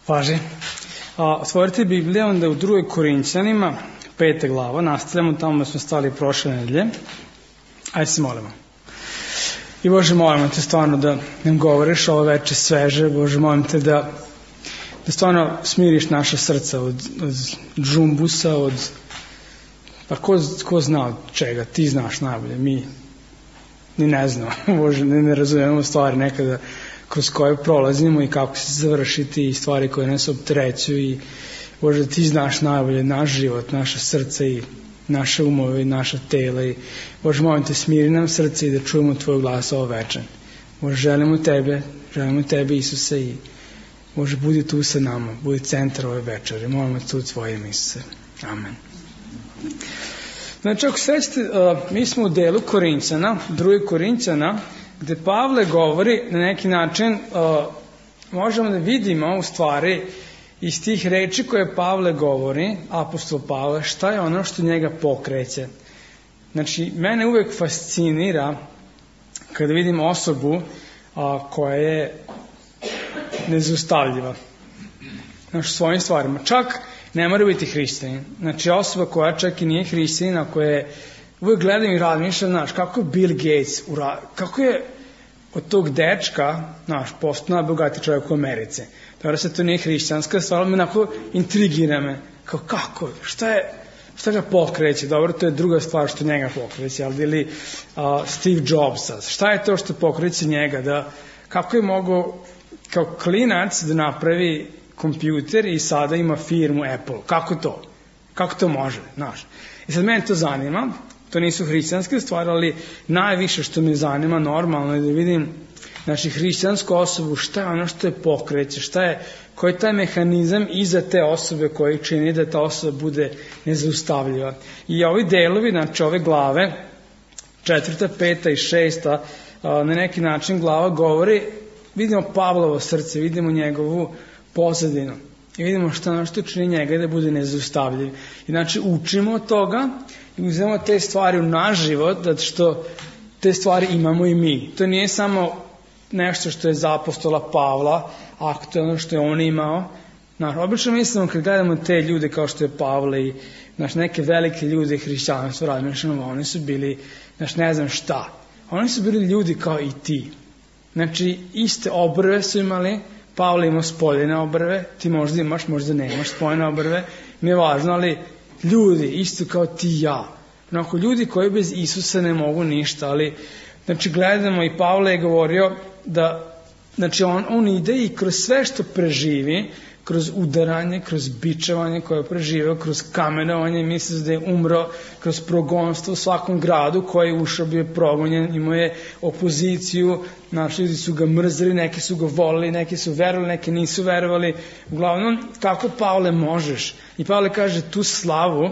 Važi. Otvorite Bibliju, onda u 2. Korinćanima, 5. glava, nastavljamo tamo da smo stali prošle nedelje. Ajde se molimo. I Bože, molimo te stvarno da nam govoriš ovo veče sveže. Bože, molim te da stvarno smiriš naša srca od džumbusa, pa ko zna od čega, ti znaš najbolje, mi ni ne znamo, Bože, ne razumijemo stvari nekada kroz koje prolazimo i kako se završiti i stvari koje nas opterećuju i Bože, ti znaš najbolje naš život, naše srce i naše umove i naša tela i Bože, molim te, smiri nam srce i da čujemo tvoj glas ovo večer. Bože, želimo tebe Isuse i Bože, budi tu sa nama, budi centar ove večeri, molimo te u tvojim Isuse. Amen. Znači, ako sećate, mi smo u delu Korinćana, 2. Korinćana, gde Pavle govori na neki način, možemo da vidimo u stvari iz tih reči koje Pavle govori, apostol Pavle, šta je ono što njega pokreće. Znači, mene uvek fascinira kada vidim osobu koja je nezaustavljiva. Znači, svojim stvarima. Čak ne mora biti hrišćanin. Znači, osoba koja čak i nije hrišćanina, koja je uvek gledam i razmišljam, znaš, kako je Bill Gates, kako je od tog dečka, znaš, postao najbogatiji čovjek u Americi. Dobro se to nije hrišćanska stvar, ali me onako intrigira me. Kako? Šta ga pokreće? Dobro, to je druga stvar što njega pokreće, ali ili Steve Jobsa. Šta je to što pokreće njega? Kako je mogao kao klinac da napravi kompjuter i sada ima firmu Apple? Kako to? Kako to može? Znaš. I sad mene to zanima. To nisu hrišćanske stvari, ali najviše što me zanima normalno je da vidim, znači, hrišćansku osobu, šta je ono što je pokreće, koji je taj mehanizam iza te osobe koji čini da ta osoba bude nezaustavljiva. I ovi delovi, znači ove glave, 4., 5. i 6. Na neki način glava govori, vidimo Pavlovo srce, vidimo njegovu pozadinu i vidimo šta ono što čini njega da bude nezaustavljiv. I znači učimo od toga i uzmemo te stvari u naš život, zato što te stvari imamo i mi. To nije samo nešto što je za apostola Pavla, aktualno što je on imao. Obično mislimo kad gledamo te ljude kao što je Pavle i neke velike ljude hrišćanstva razmišljamo, oni su bili, ne znam šta. Oni su bili ljudi kao i ti. Znači, iste obrve su imali, Pavle imao spoljene obrve, ti možda imaš, možda nemaš spoljene obrve, nije važno, ali ljudi, isto kao ti i ja. Ljudi koji bez Isusa ne mogu ništa, ali, znači, gledamo i Pavle je govorio da, znači, on ide i kroz sve što preživi, kroz udaranje, kroz bičevanje koje je preživio, kroz kamenovanje, misli da je umro, kroz progonstvo u svakom gradu koji je ušao, bio je progonjen, imao je opoziciju, naši ljudi su ga mrzili, neki su ga volili, neki su verovali, neki nisu verovali. Uglavnom, kako Pavle možeš? I Pavle kaže, tu slavu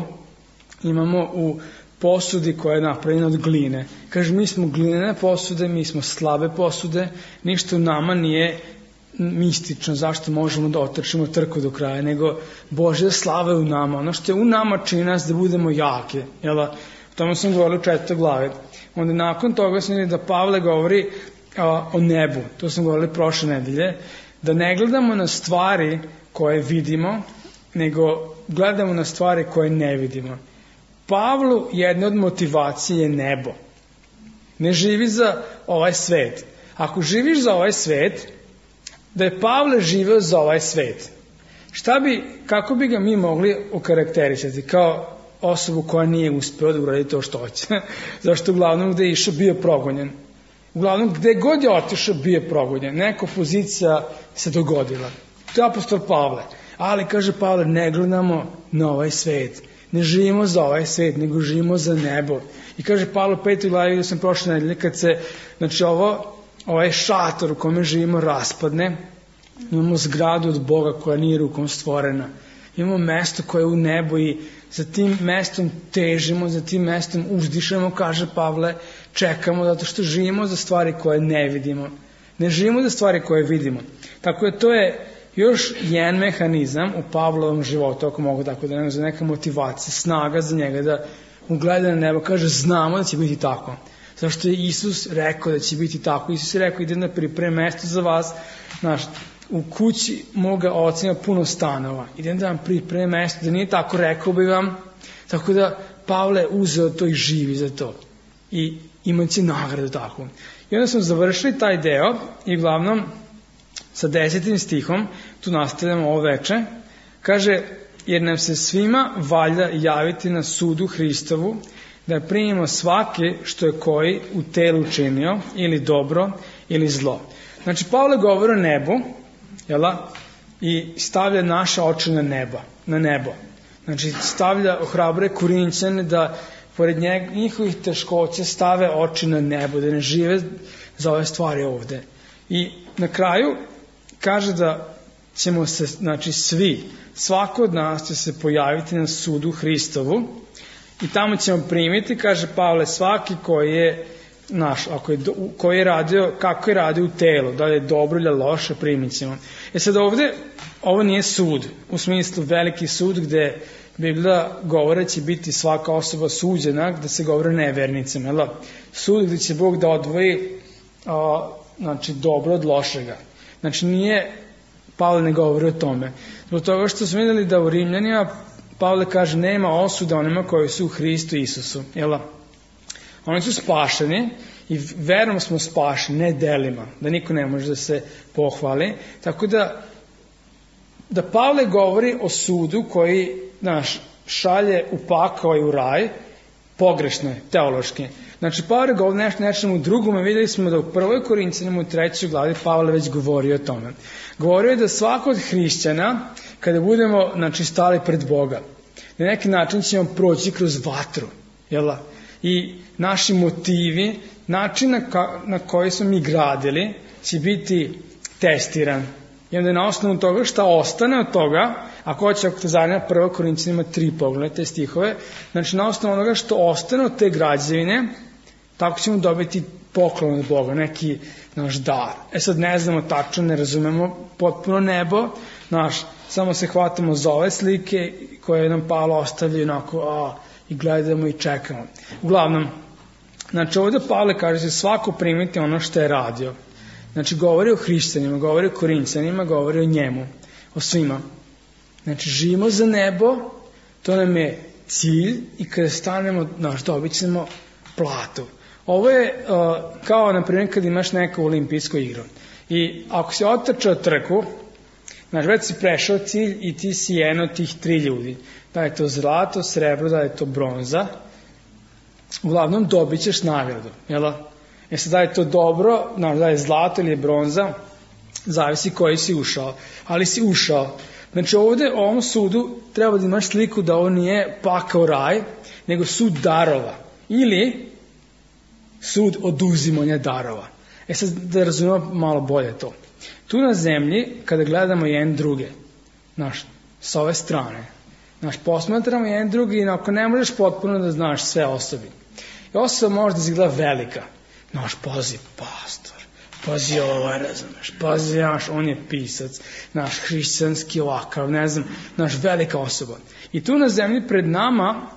imamo u posudi koja je napravljena od gline. Kaže, mi smo glinene posude, mi smo slabe posude, ništa u nama nije mistično, zašto možemo da otrčimo trku do kraja, nego Božja slava je u nama. Ono što je u nama čini nas da budemo jake. O tome sam govorio u 4. glavi. Onda nakon toga sam vidio da Pavle govori o nebu. To sam govorio prošle nedelje. Da ne gledamo na stvari koje vidimo, nego gledamo na stvari koje ne vidimo. Pavlu jedna od motivacije je nebo. Ne živi za ovaj svet. Ako živiš za ovaj svet, da je Pavle živeo za ovaj svet, kako bi ga mi mogli okarakterisati kao osobu koja nije uspeo da uradi to što hoće? Zašto uglavnom gde je išao bio progonjen? Uglavnom gde god je otišao bio je progonjen. Neka pozicija se dogodila. To je apostol Pavle. Ali, kaže Pavle, ne gledamo na ovaj svet. Ne živimo za ovaj svet, nego živimo za nebo. I kaže Pavle u 5. glavi, gdje sam prošle nedelje, kad se, znači ovaj šator u kome živimo raspadne, imamo zgradu od Boga koja nije rukom stvorena. Imamo mesto koje je u nebu i za tim mestom težimo, za tim mestom uzdišemo, kaže Pavle, čekamo zato što živimo za stvari koje ne vidimo. Ne živimo za stvari koje vidimo. Tako je, to je još jedan mehanizam u Pavlovom životu, ako mogu tako da nema, za neka motivacija, snaga za njega da ugleda na nebo, kaže, znamo da će biti tako. Zašto je Isus rekao da će biti tako? Isus je rekao, idem da pripremim mesto za vas. Znaš, u kući moga oca ima puno stanova. Idem da vam pripremim mesto, da nije tako, rekao bi vam. Tako da Pavle uzeo to i živi za to. I imaće nagradu tako. I onda smo završili taj deo i uglavnom sa 10. stihom, tu nastavljamo ovo veče, kaže, jer nam se svima valja javiti na sudu Hristovu, da primimo svaki što je koji u telu činio, ili dobro, ili zlo. Znači, Pavle govori o nebu, i stavlja naše oči na nebo. Znači, ohrabruje Korinćane da pored njihovih teškoća stave oči na nebo, da ne žive za ove stvari ovde. I na kraju kaže da ćemo se, znači svako od nas će se pojaviti na sudu Hristovu i tamo ćemo primiti, kaže Pavle, svaki koji je naš, koji je radio, kako je radio u telu, da li je dobro ili loše, primit ćemo. Sad ovde, ovo nije sud, u smislu veliki sud gde Biblija govore će biti svaka osoba suđena, gde se govore nevernicama. Sud gde će Bog da odvoji znači, dobro od lošega. Znači nije, Pavle ne govori o tome. Zbog toga što smo vidjeli da u Rimljanima Pavle kaže nema osuda onima koji su u Hristu Isusu. Oni su spašeni i verom smo spašeni, ne delima, da niko ne može da se pohvali. Tako da Pavle govori o sudu koji šalje u pakao i u raj, pogrešno je, teološki. Znači, Pavle govori nečemu drugome, vidjeli smo da u 1. Korinćanima u 3. glavi Pavle već govori o tome. Govorio je da svako od hrišćana, kada budemo stali pred Boga, na neki način ćemo proći kroz vatru, i naši motivi, način na koji smo mi gradili, će biti testiran. I onda na osnovu toga šta ostane od toga, ako hoće, ako te zanima 1. Korinćanima 3, pogledajte stihove, znači na osnovu onoga što ostane od te građevine, tako ćemo dobiti poklon od Boga, neki naš dar. Sad ne znamo tačno, ne razumemo potpuno nebo, samo se hvatamo za ove slike koje nam Pavle ostavlja onako, i gledamo i čekamo. Uglavnom, znači ovdje Pavle kaže se svako primiti ono što je radio. Znači govori o hrišćanima, govori o Korinćanima, govori o njemu, o svima. Znači živimo za nebo, to nam je cilj i kada stanemo, dobit ćemo platu. Ovo je kao, na primjer, kad imaš neku olimpijsku igru. I ako si otrčao trku, znači već si prešao cilj i ti si jedan od tih 3 ljudi. Da je to zlato, srebro, da je to bronza. Uglavnom dobit ćeš nagradu. Sad da je to dobro, da je zlato ili je bronza, zavisi koji si ušao. Ali si ušao. Znači ovdje u ovom sudu treba da imaš sliku da ovo nije pakao raj, nego sud darova. Ili sud oduzimanja darova. Sad da razumemo malo bolje to. Tu na zemlji, kada gledamo jedan druge, s ove strane, posmatramo jedan drugi i ako ne možeš potpuno da znaš sve osobi. I osoba može da izgleda velika. Pazi pastor, pazi ovaj, razumeš, pazi on je pisac, naš hrišćanski ovakav, ne znam, velika osoba. I tu na zemlji pred nama,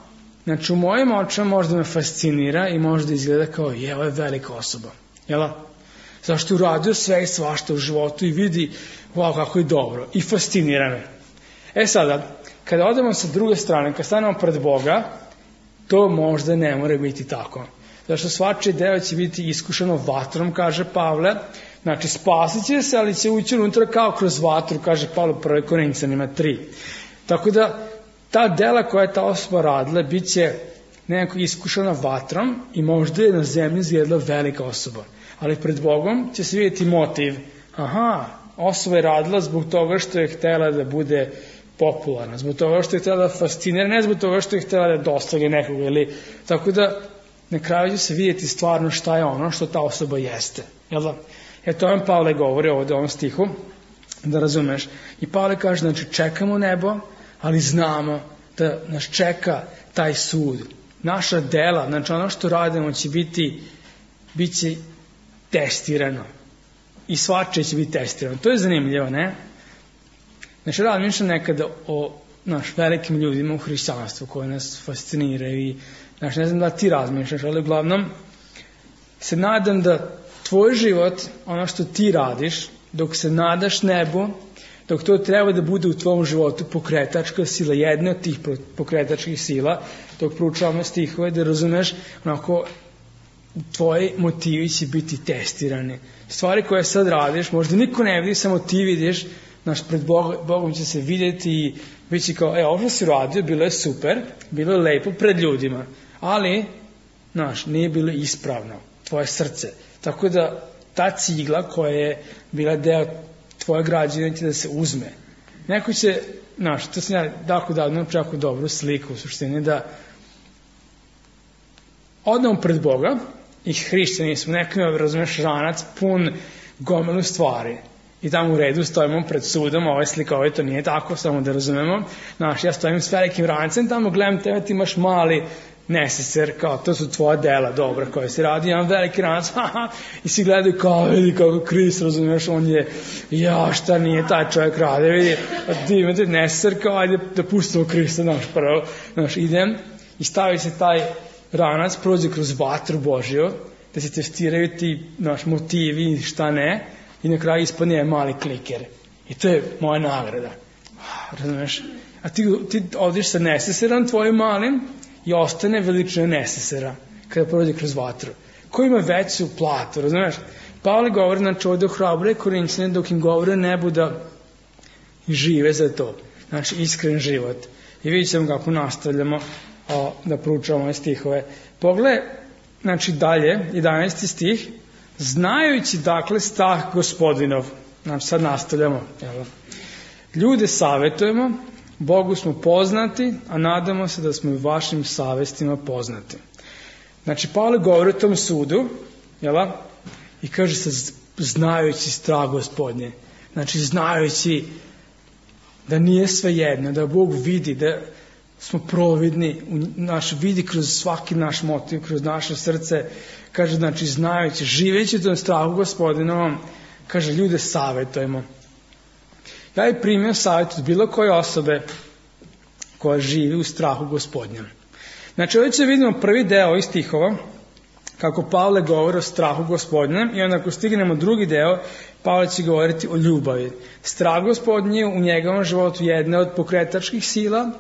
znači u mojim očima možda me fascinira i možda izgleda kao, ovo je velika osoba. Zašto je uradio sve i svašta u životu i vidi, kako je dobro. I fascinira me. Sada, kada odemo sa druge strane, kada stanemo pred Boga, to možda ne mora biti tako. Zašto svačije deo će biti iskušano vatrom, kaže Pavle. Znači, spasit će se, ali će ući unutra kao kroz vatru, kaže Pavle u 1. Korinćanima 3. Tako da, ta dela koja je ta osoba radila, bit će nekako iskušana vatrom i možda je na zemlji izgledala velika osoba. Ali pred Bogom će se vidjeti motiv. Osoba je radila zbog toga što je htjela da bude popularna, zbog toga što je htjela da fascinira, ne zbog toga što je htjela da dostavlja nekoga. Tako da, na kraju će se vidjeti stvarno šta je ono što ta osoba jeste. To vam Pavle govori ovdje u ovom stihu, da razumeš. I Pavle kaže, znači čekamo nebo, ali znamo da nas čeka taj sud. Naša dela, znači ono što radimo će bit će testirano. I svačije će biti testirano. To je zanimljivo, ne? Znači, razmišljam nekada o velikim ljudima u hrišćanstvu koji nas fasciniraju i ne znam da ti razmišljaš, ali uglavnom se nadam da tvoj život, ono što ti radiš, dok se nadaš nebu, dok to treba da bude u tvom životu pokretačka sila, jedna od tih pokretačkih sila, dok proučavamo stihove, da razumeš, onako, tvoji motivi će biti testirani. Stvari koje sad radiš, možda niko ne vidi, samo ti vidiš, pred Bogom će se vidjeti i bit će kao, ovo što si radio, bilo je super, bilo je lepo pred ljudima, ali, nije bilo ispravno, tvoje srce. Tako da, ta cigla koja je bila deo tvoje građevine će da se uzme. Neko će, to sam ja davno čako dobru sliku u suštini, da odemo pred Boga i hrišćani smo, neko ima, razumeš, ranac pun gomilu stvari i tamo u redu stojimo pred sudom, ovo je slika, ovo to nije tako, samo da razumemo. Ja stojim s velikim rancem, tamo gledam tebe, ti imaš mali neseser, kao to su tvoja dela dobra koja si radi, imam veliki ranac, i svi gledaju kao, vidi kako Krist, razumiješ, on je, šta nije taj čovjek radi, vidi, ti imate neseser, kao, ajde da pustimo Krista, prvo, idem i stavi se taj ranac, prođe kroz vatru Božju, da se testiraju ti motivi, šta ne, i na kraju ispadne mali kliker. I to je moja nagrada. Razumiješ? A ti odiš sa neseserom tvojim malim, i ostane veličina nesesera kada prođe kroz vatru. Ko ima veću platu, razumiješ? Pavle govori, ovdje ohrabruje Korinćane dok im govore nebu da žive za to. Iskren život. I vidjet ćemo kako nastavljamo da proučavamo ove stihove. Pogledaj, dalje, 11. stih, znajući dakle strah Gospodinov. Sad nastavljamo. Ljude savjetujemo, Bogu smo poznati, a nadamo se da smo i vašim savestima poznati. Pavle govori o tom sudu, i kaže se znajući strah Gospodnje. Znajući da nije sve jedno, da Bog vidi, da smo providni, vidi kroz svaki naš motiv, kroz naše srce, kaže, znajući, živeći u tom strahu Gospodinovom, kaže, ljude savjetujemo. Ja bih primio savjet od bilo koje osobe koja živi u strahu Gospodnjem. Ovdje će vidimo prvi deo ovih stihova, kako Pavle govori o strahu Gospodnjem, i onda ako stignemo drugi deo, Pavle će govoriti o ljubavi. Strah Gospodnji je u njegovom životu jedna od pokretačkih sila,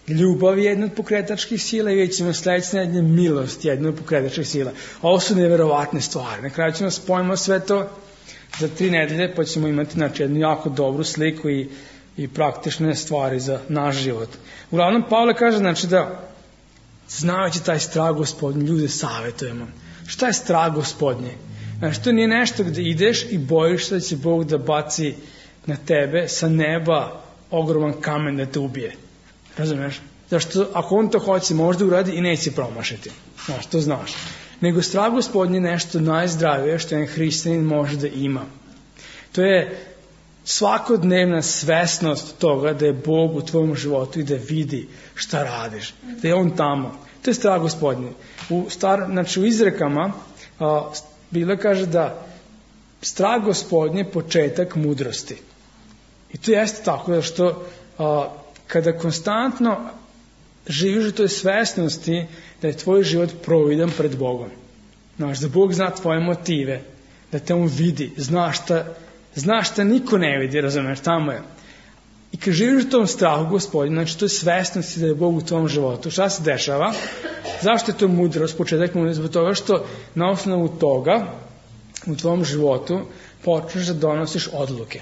ljubav je jedna od pokretačkih sila i vidjet ćemo sljedeće nedelje milost jedna od pokretačkih sila. Ovo su neverovatne stvari. Na kraju ćemo spojimo sve to za 3 nedelje, pa ćemo imati jednu jako dobru sliku i praktične stvari za naš život. Uglavnom, Pavle kaže da znajući taj strah Gospodnji, ljude savjetujemo. Šta je strah Gospodnji? To nije nešto gdje ideš i bojiš se da će Bog da baci na tebe sa neba ogroman kamen da te ubije. Razumiješ? Zašto ako on to hoće, možda uradi i neće promašiti. To znaš. Nego strah Gospodnji je nešto najzdravije što jedan hrišćanin može da ima. To je svakodnevna svesnost toga da je Bog u tvojom životu i da vidi šta radiš. Da je on tamo. To je strah Gospodnji. U izrekama Biblia kaže da strah Gospodnji je početak mudrosti. I to jeste tako, da što kada konstantno živiš u toj svesnosti da je tvoj život providan pred Bogom. Da Bog zna tvoje motive, da te on vidi, zna šta niko ne vidi, razumiješ, tamo je. I kad živiš u tom strahu Gospodinu, to je svesnosti da je Bog u tvom životu. Šta se dešava? Zašto je to mudrost, početak mudrost? Zbog toga što na osnovu toga u tvom životu počneš da donosiš odluke.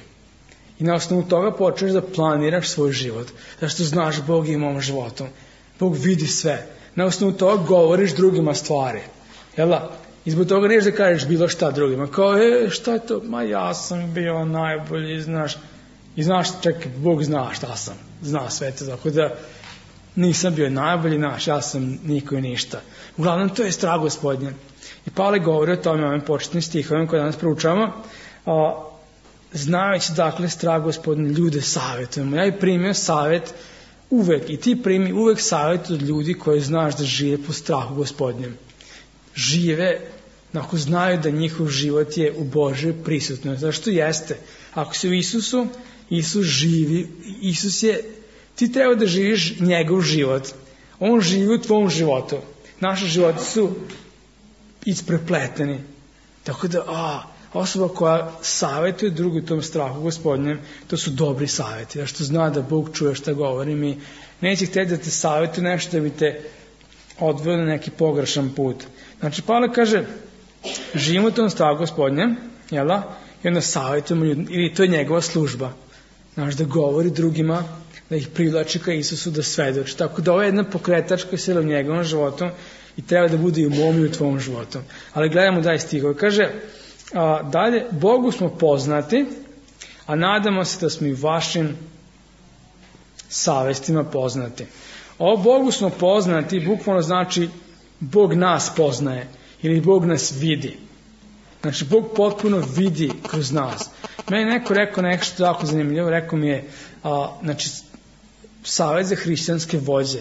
I na osnovu toga počneš da planiraš svoj život. Zašto znaš Bog ima u mom životu. Bog vidi sve. Na osnovu toga govoriš drugima stvari. I zbog toga neš da kažeš bilo šta drugima. Kao, šta je to? Ja sam bio najbolji, znaš. I znaš, čekaj, Bog zna šta sam. Zna sve to. Tako da nisam bio najbolji, ja sam niko i ništa. Uglavnom, to je strah Gospodnje. I Pavle govori o tome, ovim početnim stihovima koje danas proučavamo. Znajući dakle strah Gospodnje, ljude savjetujemo. Ja i primio savjet uvek, i ti primi uvek savjet od ljudi koji znaš da žive po strahu Gospodnjem. Žive, ako znaju da njihov život je u Božoj prisutnosti. Zašto jeste? Ako si u Isusu, Isus živi, ti treba da živiš njegov život. On živi u tvom životu. Naši životi su isprepleteni. Tako da, Osoba koja savjetuje drugu tom strahu Gospodnjem, to su dobri savjeti, jer što zna da Bog čuje šta govorim i neće htjeti da te savjetuje nešto da bi te odveo na neki pogrešan put. Znači, Pavle kaže, živimo u tom strahu Gospodnjem, jel da? I onda savjetujemo ljudi, ili to je njegova služba. Znači, da govori drugima, da ih privlači ka Isusu, da svedoči. Tako da ovo je jedna pokretačka sila u njegovom životu i treba da bude i u mom i u tvom životu. Ali gledamo dalje stihove. Kaže, dalje, Bogu smo poznati, a nadamo se da smo i vašim savestima poznati. Ovo Bogu smo poznati, bukvalno znači Bog nas poznaje ili Bog nas vidi. Znači, Bog potpuno vidi kroz nas. Meni neko rekao nešto tako zanimljivo, rekao mi je, znači, savjet za hrišćanske vođe,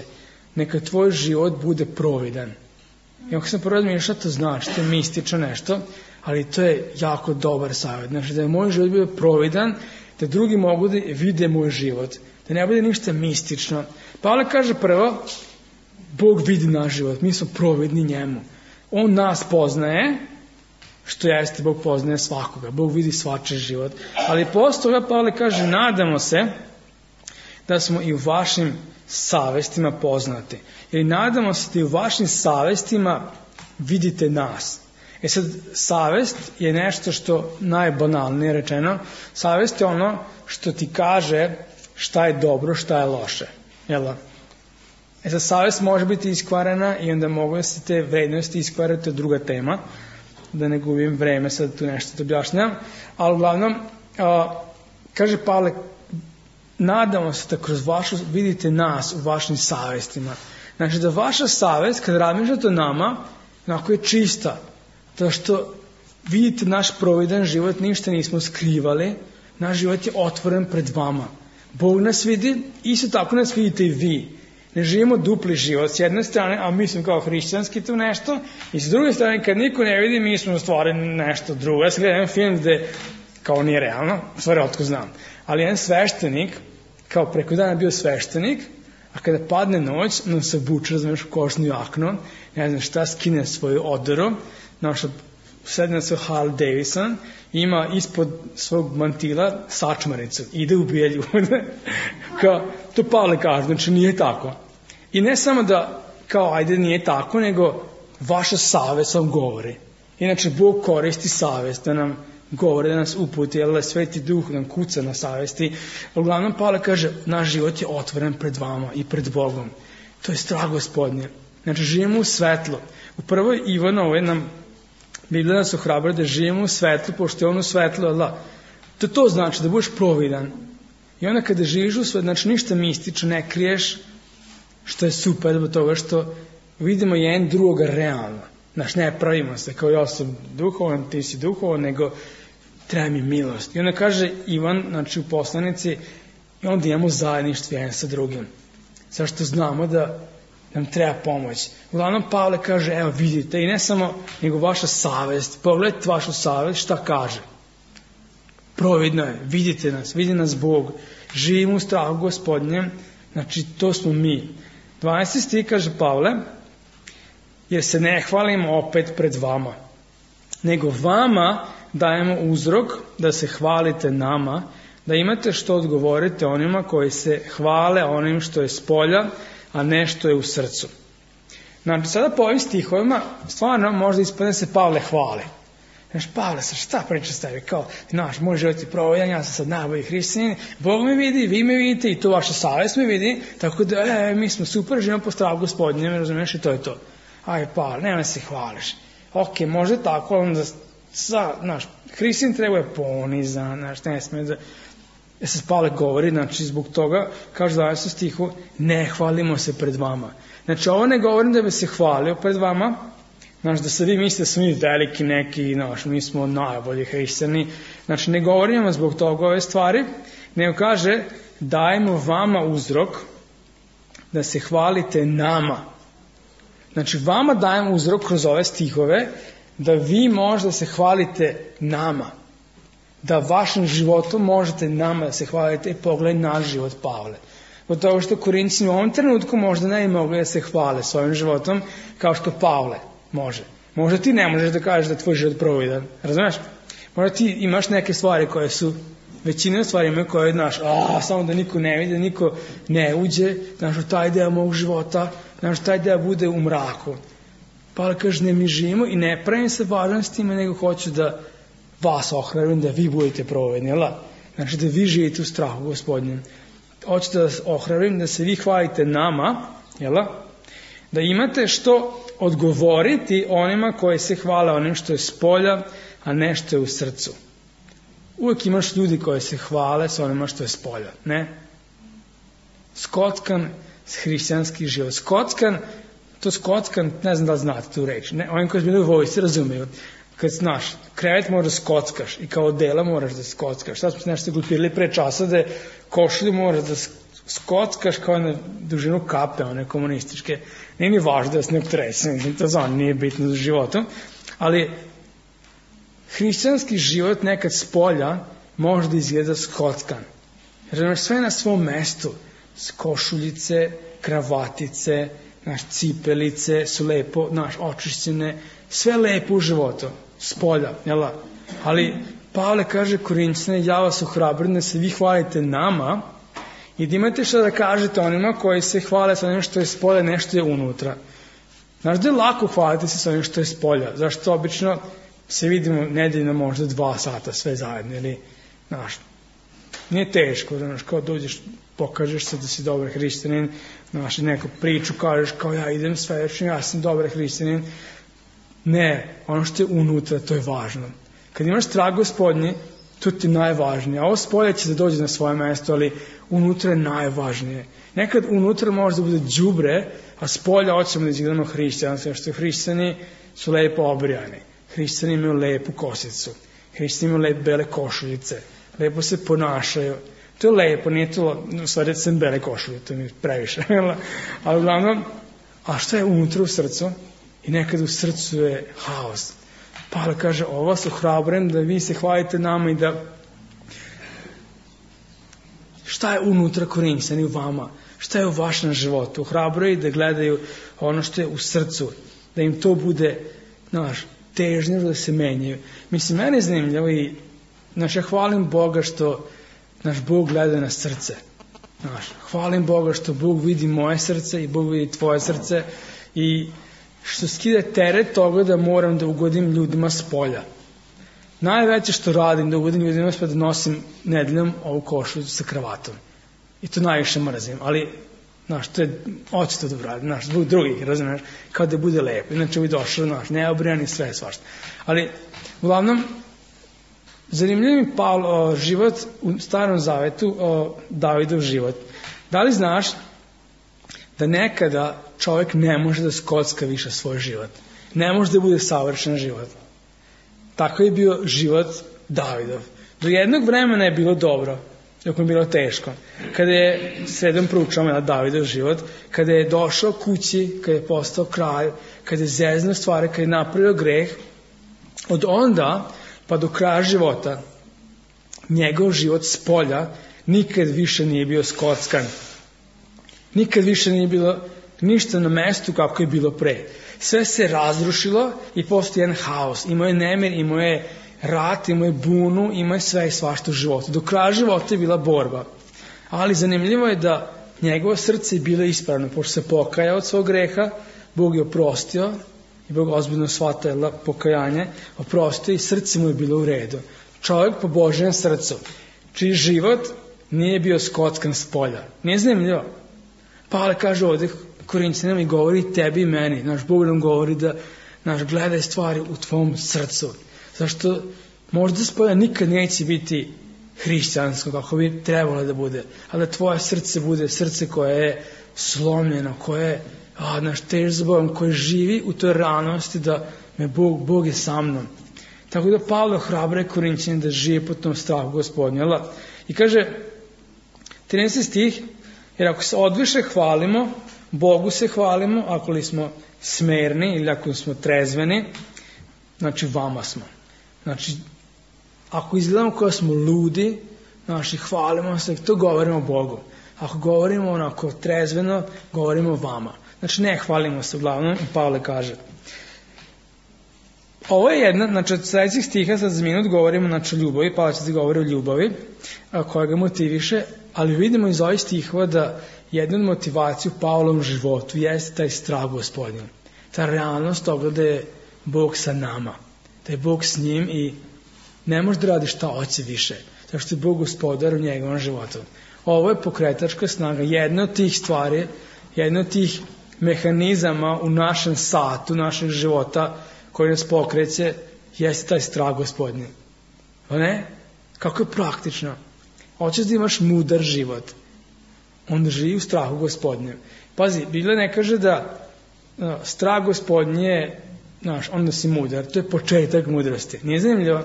neka tvoj život bude providan. I ako sam prvo razmišljao šta to znači, to je mistično nešto, ali to je jako dobar savjet. Znači, da je moj život bio providan, da drugi mogu da vide moj život, da ne bude ništa mistično. Pavle kaže prvo, Bog vidi naš život, mi smo providni njemu. On nas poznaje, što jeste, Bog poznaje svakoga, Bog vidi svačiji život. Ali posle toga Pavle kaže, nadamo se da smo i u vašim savestima poznati. Ili nadamo se da i u vašim savestima vidite nas. Sad, savest je nešto što najbanalnije rečeno. Savest je ono što ti kaže šta je dobro, šta je loše. Jel? Sad, savest može biti iskvarena i onda mogu da se te vrednosti iskvarati, to je druga tema. Da ne gubim vreme, sad tu nešto da objašnjam. Ali uglavnom, kaže Pavle, nadamo se da kroz vašu, vidite nas u vašim savestima. Znači da vaša savest, kad razmišljate o nama, onako je čista. To što vidite naš providan život, ništa nismo skrivali, naš život je otvoren pred vama. Bog nas vidi, isto tako nas vidite i vi. Ne živimo dupli život, s jedne strane, a mi smo kao hrišćanski tu nešto, i s druge strane, kad niko ne vidi, mi smo stvarili nešto drugo. Ja sam gledao jedan film gde, kao nije realno, stvari otko znam, ali jedan sveštenik, kao preko dana bio sveštenik, a kada padne noć, on se obuče, razumiješ, kožnu jaknu, ne znam šta, skine svoju odoru, sedi na svoj Harley Davidson, ima ispod svog mantila sačmaricu, ide ubija ljude. To Pavle kaže, znači nije tako. I ne samo da, kao ajde nije tako, nego vaša savest vam govori. Inače, Bog koristi savest da nam govori, da nas uputi, jer Sveti Duh nam kuca na savesti. Uglavnom, Pavle kaže, naš život je otvoren pred vama i pred Bogom. To je strah Gospodnje. Znači, živimo u svetlu. U prvoj Ivanovoj nam Biblija nas ohrabra da živimo u svetlu, pošto je on u svetlu, Allah. To znači da budeš providan. I onda kada živiš u svetlu, znači ništa mistično ne kriješ, što je super zbog toga što vidimo jedan drugoga realno. Znači, ne pravimo se kao ja sam duhovan, ti si duhovan, nego treba mi milost. I onda kaže Ivan, znači u poslanici, i onda imamo zajedništvo jedan sa drugim. Zašto znamo da nam treba pomoć. Uglavnom Pavle kaže, evo vidite, i ne samo nego vaša savest, pogledajte vašu savest, šta kaže. Providno je, vidite nas, vidi nas Bog, živimo u strahu Gospodnjem, znači to smo mi. 12. stih kaže Pavle, jer se ne hvalimo opet pred vama, nego vama dajemo uzrok da se hvalite nama, da imate što odgovorite onima koji se hvale onim što je spolja, a ne što je u srcu. Znači, sada po ovim stihovima, stvarno možda ispadne se Pavle hvali. Znaš, Pavle, šta priča s tebi? Kao, znaš, moj život je providan, ja sam sad najbolji hrišćanin, Bog me vidi, vi me vidite i to vaša savest me vidi, tako da, mi smo super, živimo po strahu Gospodnjem, razumiješ, i to je to. Aj, Pavle, nema se hvališ. Ok, možda tako, onda, znaš, hrišćanin treba je ponizan, znaš, ne smije da... se Pavle govori, znači zbog toga, kaže u 20. stihu, ne hvalimo se pred vama. Znači ovo ne govorim da bi se hvalio pred vama, znači da se vi mislite da smo mi veliki neki, znači mi smo najbolji hrišćani, znači ne govorimo zbog toga ove stvari, nego kaže dajemo vama uzrok da se hvalite nama. Znači vama dajemo uzrok kroz ove stihove da vi možda se hvalite nama. Da vašim životom možete nama da se hvalite i pogledaj naš život Pavle. Od toga što Korinćani u ovom trenutku možda ne mogli da se hvale svojim životom kao što Pavle može. Možda ti ne možeš da kažeš da je tvoj život providan. Razumeš? Možda ti imaš neke stvari koje su, većina stvari imaju koje, znaš, samo da niko ne vidi, da niko ne uđe, znaš, u taj deo mog života, znaš, taj deo bude u mraku. Pavle kaže, ne mi živimo i ne pravim se važan s time, nego hoću da vas ohrabrim, da vi budete provedni, jel? Znači, da vi živite u strahu Gospodnjem. Hoću da vas ohrabrim, da se vi hvalite nama, jel? Da imate što odgovoriti onima koji se hvale onim što je s polja, a ne što je u srcu. Uvijek imaš ljudi koji se hvale sa onima što je s polja, ne? Skockan hrišćanski život. Skockan, ne znam da li znate tu reč, ne? Oni koji su bili u vojsci razumiju. Kad znaš, krevet moraš da skockaš i kao dela moraš da skockaš. Sad smo se nešto glupirali pre časa da košulju moraš da skockaš kao na dužinu kape, one komunističke. Nije mi važno da se ne optresem, to za nije bitno za životom, ali hrišćanski život nekad s polja može da izgleda skockan. Jer imaš sve na svom mestu, košuljice, kravatice, cipelice su lepo, očišćene, sve lepo u životu, s polja, jel? Ali Pavle kaže Korinćane, ja vas ohrabrim da se vi hvalite nama i da imate što da kažete onima koji se hvale sa onim što je s polja, nešto je unutra. Znaš da je lako hvaliti se sa onim što je s polja, zašto obično se vidimo nedeljno možda 2 sata sve zajedno, ili, znaš, nije teško, znaš, kao dođeš, pokažeš se da si dobar hrišćanin, znaš, neku priču kažeš kao ja idem svedočim, ja sam dobar hrišćanin. Ne, ono što je unutra, to je važno. Kad imaš strah Gospodnji, to ti je najvažnije. A ovo spolje će da dođe na svoje mesto, ali unutra je najvažnije. Nekad unutra može da bude đubre, a spolja hoćemo da izgledamo hrišćanstvo, što hrišćani su lepo obrijani. Hrišćani imaju lepu kosicu. Hrišćani imaju lepe bele košuljice. Lepo se ponašaju. To je lepo, nije to, u stvari sam bele košulje, to mi je previše. Ali uglavnom, a šta je unutra u srcu? I nekad u srcu je haos. Pavle kaže, ovo su hrabrim da vi se hvalite nama i da šta je unutra Korinćani u vama? Šta je u vašem životu? Hrabro je da gledaju ono što je u srcu, da im to bude, težnje da se menjaju. Mislim, mene je zanimljivo i ja hvalim Boga što naš Bog gleda na srce. Hvalim Boga što Bog vidi moje srce i Bog vidi tvoje srce i što skida teret toga da moram da ugodim ljudima s polja. Najveće što radim da ugodim ljudima s polja da nosim nedeljom ovu košulju sa kravatom. I to najviše mrzim, ali to je očito da radim, zbog drugih, razumiješ, kao da bude lepo. Inače bi došao, neobrijani, sve svašta. Ali, uglavnom, zanimljiv mi život u Starom Zavetu, Davidov život. Da li znaš da nekada čovjek ne može da skocka više svoj život? Ne može da bude savršen život. Tako je bio život Davidov. Do jednog vremena je bilo dobro, dok mu je bilo teško. Kada je, sredom proučavamo Davidov život, kada je došao kući, kada je postao kralj, kada je zeznuo stvari, kada je napravio greh, od onda pa do kraja života, njegov život s polja nikad više nije bio skockan. Nikad više nije bilo ništa na mestu kako je bilo pre. Sve se razrušilo i postoji jedan haos. Imao je nemir, imao je rat, imao je bunu, imao je sve i svašta u životu. Do kraja života je bila borba. Ali zanimljivo je da njegovo srce je bilo ispravno. Pošto se pokajao od svog greha, Bog je oprostio i Bog ozbiljno shvatila pokajanje, oprostio i srce mu je bilo u redu. Čovjek po Božjem srcu, čiji život nije bio skockan s polja. Nije zanimljivo? Pavle kaže ovdje Korinćanima i govori tebi i meni. Naš Bog nam govori da gledaj stvari u tvom srcu. Zašto možda s polja nikad neće biti hrišćansko kako bi trebalo da bude. Ali da tvoje srce bude srce koje je slomljeno, koje je tež za Bogom, koje živi u toj realnosti da me Bog je sa mnom. Tako da Pavle ohrabruje Korinćane da žive po tom strahu Gospodnja. I kaže 13. stih, jer ako se odviše hvalimo, Bogu se hvalimo, ako li smo smerni ili ako smo trezveni, znači vama smo. Znači, ako izgledamo kao smo ludi, hvalimo se, to govorimo Bogu. Ako govorimo onako trezveno, govorimo vama. Znači, ne hvalimo se uglavnom, Pavle kaže. Ovo je jedna, znači od sledećih stiha sad za minut govorimo znači o ljubavi, Pavle će da govori o ljubavi koja ga motiviše, ali vidimo iz ovih stihova da jedna od motivacija u Pavlovom životu jeste taj strah Gospodnja. Ta realnost toga da je Bog sa nama, da je Bog s njim i ne može da radi šta hoće više, zato što je Bog gospodar u njegovom životu. Ovo je pokretačka snaga, jedna od tih stvari, jedna od tih mehanizama u našem satu, našeg života koji nas pokreće, jeste taj strah Gospodnji. Pa ne? Kako je praktično? Hoćeš da imaš mudar život, onda živi u strahu Gospodnjem. Pazi, Biblija ne kaže da strah Gospodnji je, onda si mudar, to je početak mudrosti. Nije zanimljivo?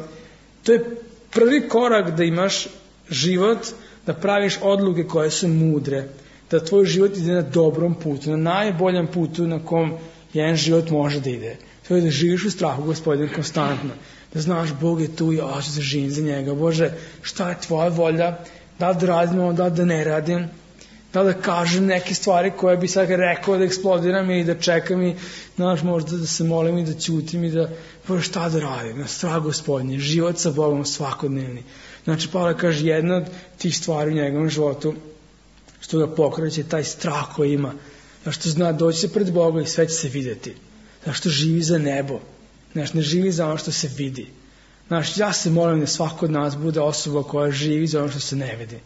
To je prvi korak da imaš život, da praviš odluke koje su mudre, da tvoj život ide na dobrom putu, na najboljem putu na kom jedan život može da ide. To je da živiš u strahu Gospodina konstantno, da znaš Bog je tu i ja ću da živim za njega. Bože, šta je tvoja volja, da li da radim ovo, da li da ne radim, da li da kažem neke stvari koje bi sad rekao da eksplodiram i da čekam i znaš možda da se molim i da ćutim i da, Bože, šta da radim, na strah Gospodnji, život sa Bogom svakodnevni. Znači, Pavle kaže, jedna od tih stvari u njegovom životu što ga pokreće, taj strah koji ima, zašto zna doći se pred Boga i sve će se videti, zašto živi za nebo, znaš, ne živi za ono što se vidi. Znaš, ja se molim da svako od nas bude osoba koja živi za ono što se ne vidi.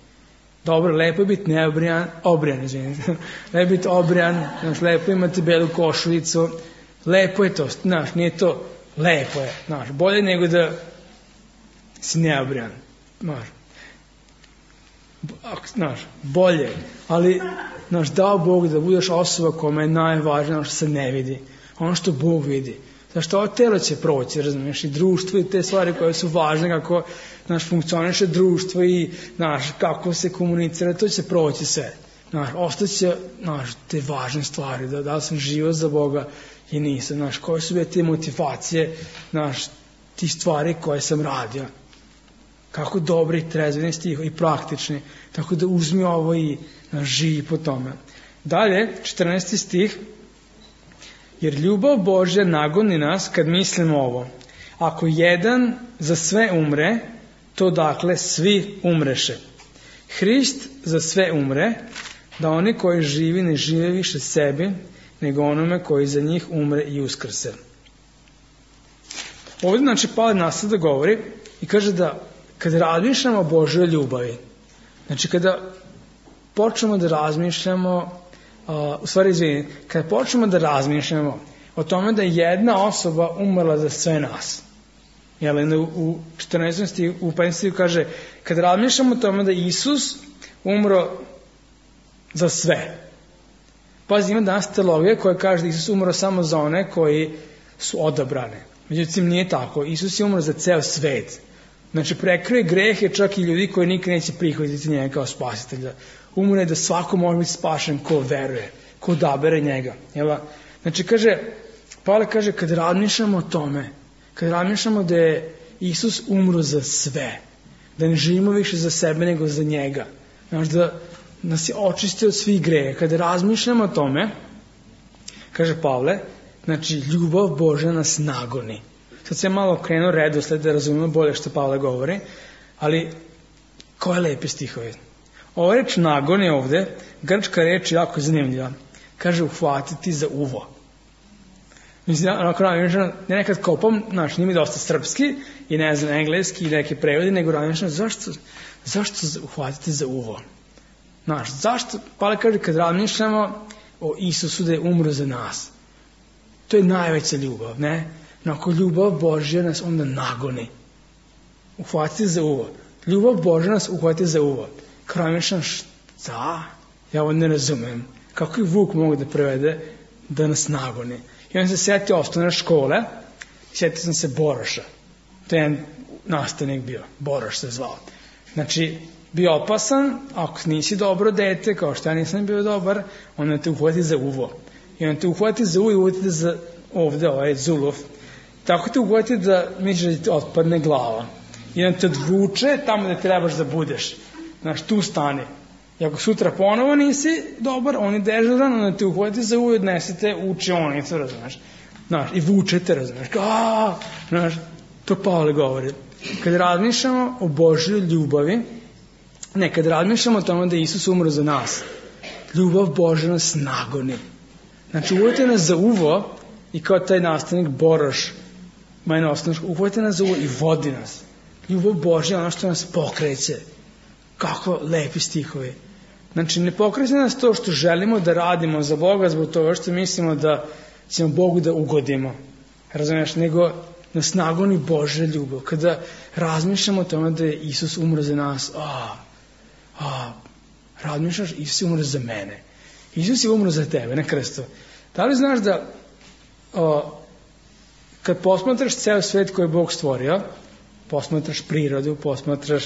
Dobro, lepo je biti obrijan, izvinite, lepo je biti obrijan, znaš, lepo imati belu košuljicu, lepo je to, znaš, nije to, lepo je, znaš, bolje nego da si neobrijan, znaš, bolje, ali, znaš, dao Bog da budeš osoba kome je najvažnije ono što se ne vidi, ono što Bog vidi. Zašto ovo telo će proći, razumiješ, i društvo i te stvari koje su važne, kako, znaš, funkcioniše društvo i, znaš, kako se komunicira, to će proći sve. Znaš, ostaće, znaš, te važne stvari, da li sam živio za Boga i nisam, znaš, koje su bile te motivacije, znaš, ti stvari koje sam radio. Kako dobri, trezveni stih i praktični, tako da uzmi ovo i, znaš, živi po tome. Dalje, 14. stih, jer ljubav Božja nagoni nas kad mislimo ovo. Ako jedan za sve umre, to dakle svi umreše. Hrist za sve umre, da oni koji živi ne žive više sebi, nego onome koji za njih umre i uskrse. Ovdje, znači, Pavle nastavlja da govori i kaže da kad razmišljamo o Božjoj ljubavi, znači kada počnemo da razmišljamo, kada počnemo da razmišljamo o tome da je jedna osoba umrla za sve nas, u 14. stihu, u 15. stihu kaže, kad razmišljamo o tome da Isus umro za sve. Pazi, ima danas teologija koja kaže da Isus umro samo za one koji su odabrane. Međutim, nije tako. Isus je umro za ceo svet. Znači, prekrije grehe čak i ljudi koji nikad neće prihvatiti njega kao spasitelja. Umro je da svako može biti spašen ko veruje, ko odabere njega. Znači, Pavle kaže, kad razmišljamo o tome, kad razmišljamo da je Isus umro za sve, da ne živimo više za sebe nego za njega, znači da nas je očistio od svih greha, kad razmišljamo o tome, kaže Pavle, znači ljubav Božja nas nagoni. Sad se malo krenuo redosled da razumemo bolje što Pavle govori, ali koje lepe stihove. Ova reč nagon je ovde, grčka reč je jako zanimljiva. Kaže uhvatiti za uvo. Mislim, ja nekad kopam, znaš, nije mi dosta srpski i ne znam engleski i neke prevode, nego razmišljam zašto uhvatiti za uvo? Znaš, zašto? Pavle kaže kad razmišljamo o Isusu da je umro za nas. To je najveća ljubav, ne? Ako ljubav Božja nas onda nagoni. Uhvatiti za uvo. Ljubav Božja nas uhvatiti za uvo. Kad razmišljam šta? Ja ovo ne razumem. Kako je Vuk mogu da prevede da nas nagoni? I on se setio osnovne škole, setio sam se Boroša. To je jedan nastavnik bio, Boroš se zvao. Znači, bio opasan, ako nisi dobro dete, kao što ja nisam bio dobar, onda te uhvati za uvo. I on te uhvati za uvo i uhvati za ovde, ovaj zuluf. Tako te uhvati da misliš da ti otpadne glava. I on te odvuče tamo da trebaš da budeš. Znaš, tu stani. I ako sutra ponovo nisi dobar, on je dežuran, onda te uhvati za uvo i odnesete u učionicu, razumeš. Znaš, i vučete, razumiješ, znaš, to Pavle govori. Kad razmišljamo o Božjoj ljubavi, kad razmišljamo o tome da je Isus umro za nas, ljubav Božja nas nagoni. Znači, uvojte nas za uvo i kao taj nastavnik Boroš, mene osnovno, uvojte nas za uvo i vodi nas. Ljubav Božja je ono što nas pokreće. Kako lepi stihovi. Znači, ne pokreće nas to što želimo da radimo za Boga zbog toga što mislimo da ćemo Bogu da ugodimo. Razumiješ? Nego nas nagoni Božja ljubav. Kada razmišljamo o tome da je Isus umro za nas, razmišljaš, Isus je umro za mene. Isus je umro za tebe na krstu. Da li znaš da kad posmatraš ceo svet koji je Bog stvorio, posmatraš prirodu, posmatraš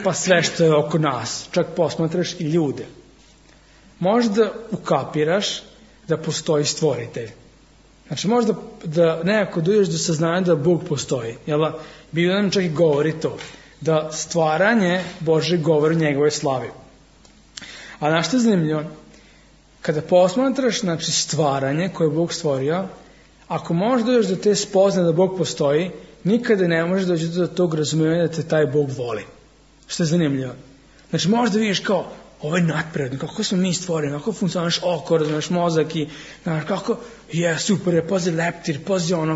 pa sve što je oko nas, čak posmatraš i ljude, možda ukapiraš da postoji stvoritelj. Znači možda da nekako dođeš do saznanja da Bog postoji. Biblia nam čak i govori to, da stvaranje Božje govori o njegovoj slavi. A na što je zanimljivo? Kada posmatraš, znači, stvaranje koje je Bog stvorio, ako možeš dođeš do te spoznaje da Bog postoji, nikada ne možeš doći do tog razumijevanja da te taj Bog voli. Što je zanimljivo? Znači možeš da vidiš kao, ovo je nadprirodno, kako smo mi stvoreni, kako funkcioniš oko, razumiješ mozak i, znaš, kako, super je, pazi leptir,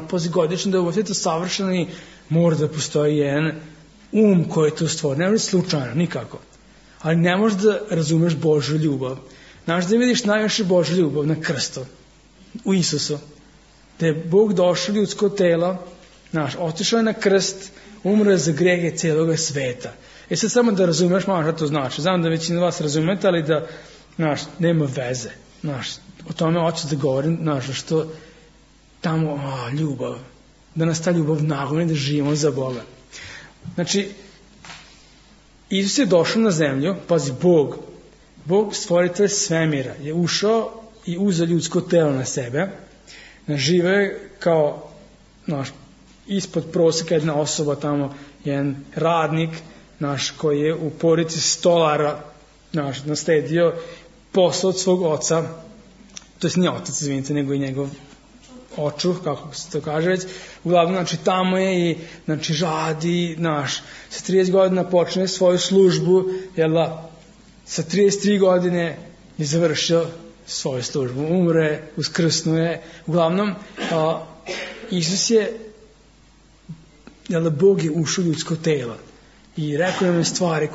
pazi godično, da je ovo sve to savršeno i mora da postoji jedan koji je to stvorio. Ne može slučajno, nikako. Ali ne možeš da razumeš Božju ljubav. Znaš da vidiš najviše Božju ljubav na krstu, u Isusu. Da je Bog došao ljudsko telo, znaš, otišao je na krst, umro je za grehe cijeloga sveta. Sad samo da razumeš malo šta to znači. Znam da većina vas razumete, ali da, znaš, nema veze. Znaš, o tome hoću da govorim, znaš, što tamo, ljubav, da nas ta ljubav nagoni da živimo za Boga. Znači, Isus je došao na zemlju, pazi, Bog stvoritelj svemira, je ušao i uzeo ljudsko telo na sebe, živeo je kao, znaš, ispod prosjeka jedna osoba tamo, jedan radnik, naš, koji je u porodici stolara, naš, nasledio posao od svog oca, to je nije otac, izvinite, nego i njegov očuh, kako se to kaže već, uglavnom, znači, tamo je i, znači, radi, naš, sa 30 godina počne svoju službu, sa 33 godine je završio svoju službu, umre, uskrsnuje, uglavnom, Isus je, Bog je ušao u ljudsko telo i rekao nam stvari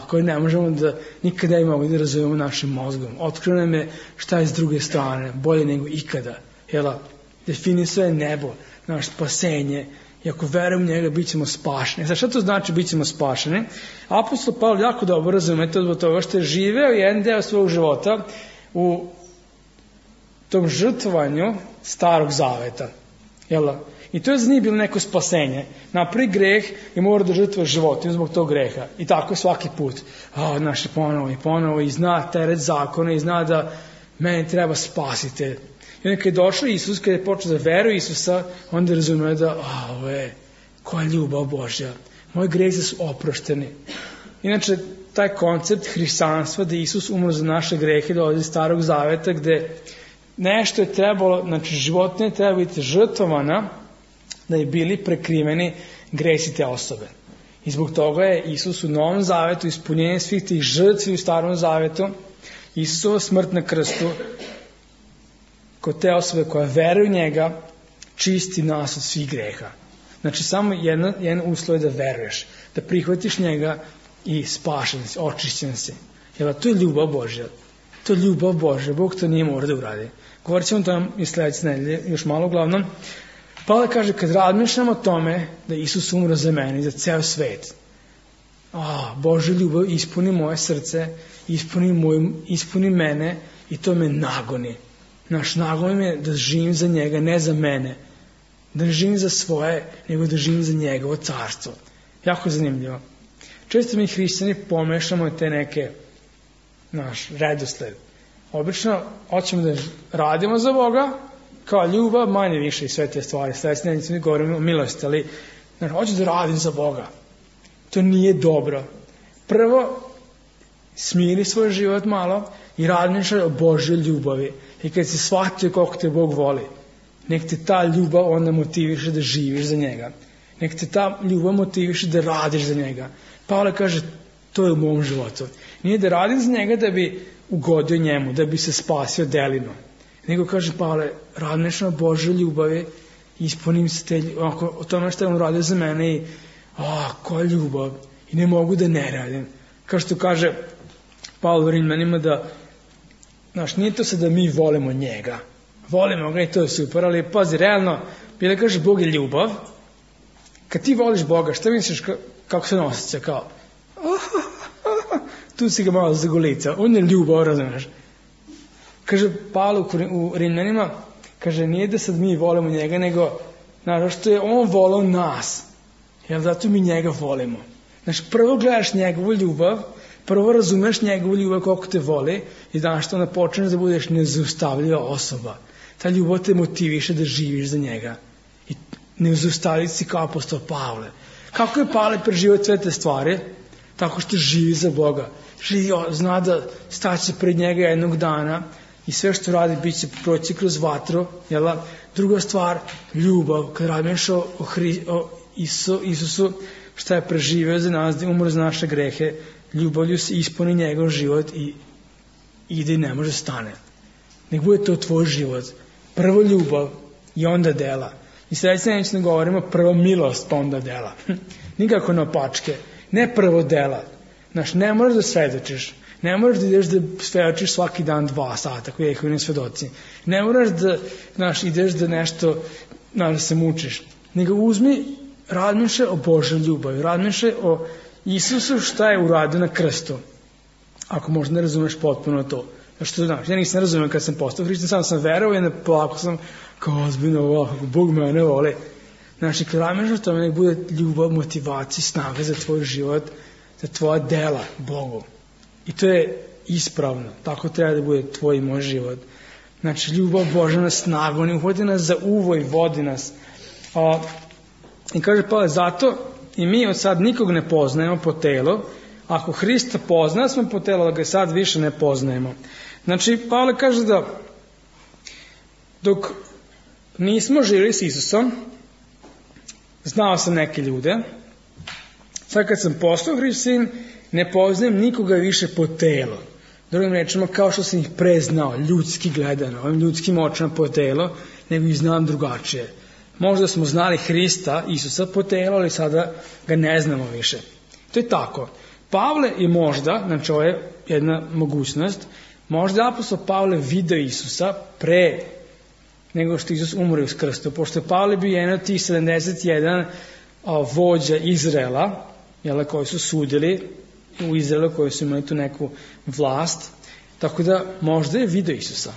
koje ne možemo da nikada imamo da razumemo našim mozgom. Otkrio nam je šta je s druge strane, bolje nego ikada. Definisao je nebo, naše spasenje, i ako verujemo u njega, bit ćemo spašeni. Sad, šta to znači bit ćemo spašeni? Apostol Pavle jako dobro razume to zbog toga što je živeo jedan deo svog života u tom žrtvovanju Starog Zaveta. I to je za njih bilo neko spasenje. Napravi greh i mora da žrtvuje životinju zbog tog greha. I tako svaki put. Naše ponovo i zna teret zakona i zna da meni treba spasitelj. I onda kad je došao Isus, kad je počeo da veruje Isusa, onda razumije da, ovo je, koja ljubav Božja. Moji grezi su oprošteni. Inače, taj koncept hrišćanstva da Isus umro za naše grehe dolazi iz Starog Zaveta, gde nešto je trebalo, znači životinja je treba biti žrtvovana da je bili prekriveni gresi te osobe. I zbog toga je Isus u Novom Zavetu ispunjenje svih tih žrtvi u Starom Zavetu, Isusova smrt na krstu, kod te osobe koja veruje u njega, čisti nas od svih greha. Znači samo jedan uslov je da veruješ, da prihvatiš njega i spašen si, očišćen si. To je ljubav Božja. To je ljubav Božja. Bog to nije mora da uradi. Govorit ćemo to i sledeće nedelje, još malo uglavnom. Pavle kaže, kad razmišljam o tome da Isus umro za mene i za ceo svet, Božja ljubav ispuni moje srce, ispuni mene i to me nagoni. Naš nagon je da živim za njega, ne za mene. Da ne živim za svoje, nego da živim za njegovo carstvo. Jako zanimljivo. Često mi hrišćani pomešamo te neke naš redosled. Obično hoćemo da radimo za Boga, kao ljubav, manje više i sve te stvari. Sledeće nedelje mi govorimo o milosti, ali hoću da radim za Boga. To nije dobro. Prvo, smiri svoj život malo i razmišljaj o Božjoj ljubavi. I kad si shvatio koliko te Bog voli, nek te ta ljubav onda motiviše da živiš za njega. Nek te ta ljubav motiviše da radiš za njega. Pavle kaže, to je u mom životu. Nije da radim za njega da bi ugodio njemu, da bi se spasio delima. Nego kaže Pavle, razmišljam o Božoj ljubavi, ispunim se o tome što je on radio za mene i koja ljubav. I ne mogu da ne radim. Kao što kaže Pavle u Rimljanima da, nije to sad da mi volimo njega. Volimo ga i to je super, ali pazi, realno, bila kaže Bog je ljubav. Kad ti voliš Boga, šta misliš kako se nosice? Kao, tu si ga malo zagolica. On je ljubav, razumiješ? Kaže Pavle u Rimljanima, kaže, nije da sad mi volimo njega, nego, što je on volao nas. Jer zato mi njega volimo. Prvo gledaš njegovu ljubav, prvo razumeš njegovu ljubav koliko te voli i što onda počneš da budeš nezaustavljiva osoba. Ta ljubav te motiviše da živiš za njega. I nezaustavljiv si kao apostol Pavle. Kako je Pavle preživio sve te stvari? Tako što živi za Boga. Zna da staće pred njega jednog dana i sve što radi bit će proći kroz vatru. Druga stvar, ljubav. Kad radiš o Isusu, šta je preživio za nas, da je umro za naše grehe, ljubavlju se ispuni njegov život i ide i ne može stane. Nek bude to tvoj život. Prvo ljubav i onda dela. I sledeće neće ne govorimo prvo milost pa onda dela. Nikako naopačke. Ne prvo dela. Ne moraš da svedočiš. Ne moraš da ideš da svedočiš svaki dan 2 sata koji je Jehovini svedoci. Ne moraš da ideš da nešto da se mučiš. Nego uzmi, razmišljaj o Božoj ljubavi. Razmišljaj o Isusu šta je uradio na krstu. Ako možda ne razumeš potpuno to. Ja nisam razumio kad sam postao hrišćanin, samo sam verovao i polako sam kao ozbiljno, kako Bog mene voli. Kad razmišljaš o tome, nek bude ljubav, motivacija, snaga za tvoj život, za tvoja dela Bogu. I to je ispravno. Tako treba da bude tvoj i moj život. Ljubav Božja nas snaga, on uhvati nas za uvo i vodi nas. I kaže Pavle, zato i mi od sad nikog ne poznajemo po telu. Ako Hrista pozna smo po telu, da ga sad više ne poznajemo. Pavle kaže da dok nismo živjeli s Isusom, znao sam neke ljude. Sad kad sam postao hrišćanin, ne poznajem nikoga više po telu. Drugim rečima, kao što sam ih preznao, ljudski gledano, ovim ljudskim očima po telu, nego ih znam drugačije. Možda smo znali Hrista, Isusa po telu, ali sada ga ne znamo više. To je tako. Pavle je možda, ovo je jedna mogućnost, možda apostol Pavle video Isusa pre nego što Isus umre uz krstu, pošto je Pavle bio jedan od tih 71 vođa Izraela, koji su sudili u Izraelu, koji su imali tu neku vlast, tako da možda je video Isusa.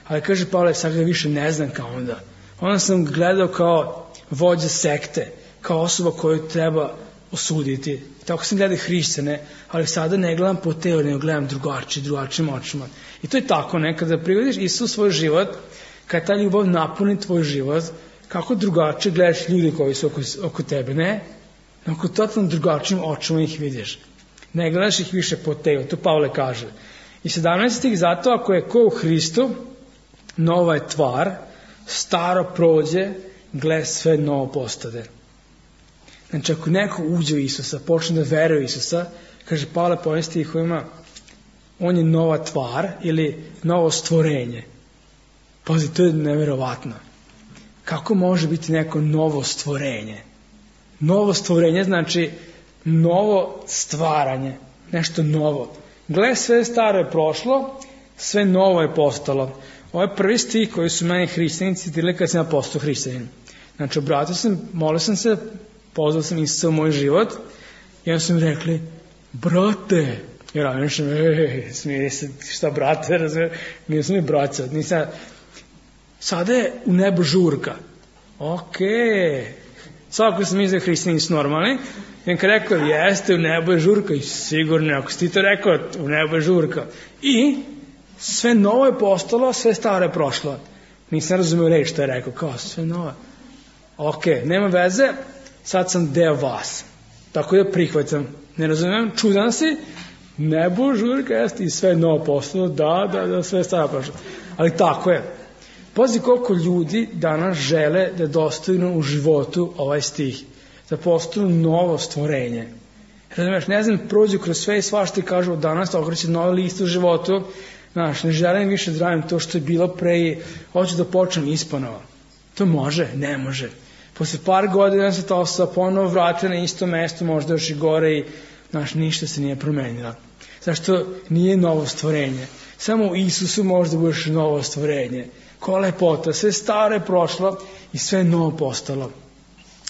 Ali kaže Pavle, sad ga više ne znam kao onda. Onda sam gledao kao vođa sekte, kao osoba koju treba osuditi. Tako sam gledao hrišćane, ali sada ne gledam po telu, nego gledam drugačijim očima. I to je tako, kada privodiš Isus svoj život, kad ta ljubav napuni tvoj život, kako drugačije gledaš ljudi koji su oko tebe, ne? Oko totalno drugačijim očima ih vidiš. Ne gledaš ih više po telu, to Pavle kaže. I 17 stih, zato ako je ko u Hristu, nova je tvar, staro prođe, gle sve novo postade. Ako neko uđe u Isusa, počne da veruje u Isusa, kaže Pavle po ovim stihovima, on je nova tvar ili novo stvorenje. Pazi, to je neverovatno. Kako može biti neko novo stvorenje? Novo stvorenje znači novo stvaranje, nešto novo. Gle, sve staro je prošlo, sve novo je postalo. Ovo je prvi stih koji su meni hrišćani citirali kad sam ja postao hrišćanin. Obratio sam, molio sam se, pozvao sam Isusa u moj život i onda su mi rekli, brate, i razmišljam, smiri se, šta brate, razumije, nisam mi braća, sada je u nebu žurka. Svako sam mislio hrišćani su normalni, i kad rekao, jeste, u nebu je žurka, i sigurno, ako si ti to rekao, u nebu je žurka. I sve novo je postalo, sve staro je prošlo. Nisam razumio reći što je rekao, kao sve novo. Nema veze, sad sam deo vas. Tako da prihvatam. Ne razumijem, čudan si, nebo žurka, jeste, i sve novo postalo, da, sve staro prošlo. Ali tako je. Pazi koliko ljudi danas žele da dostignu u životu ovaj stih, da postanu novo stvorenje. Razumeš, ne znam, prođu kroz sve i svašta i kažu danas okreće novi list u životu, znaš, ne želim više da radim to što je bilo pre i hoću da počnem ispanova. To može? Ne može. Posle par godina se ta osoba ponovo vrati na isto mesto, možda još i gore i, znaš, ništa se nije promenilo. Zašto nije novo stvorenje? Samo u Isusu može da budeš novo stvorenje. Koja lepota, sve staro je prošlo i sve novo postalo.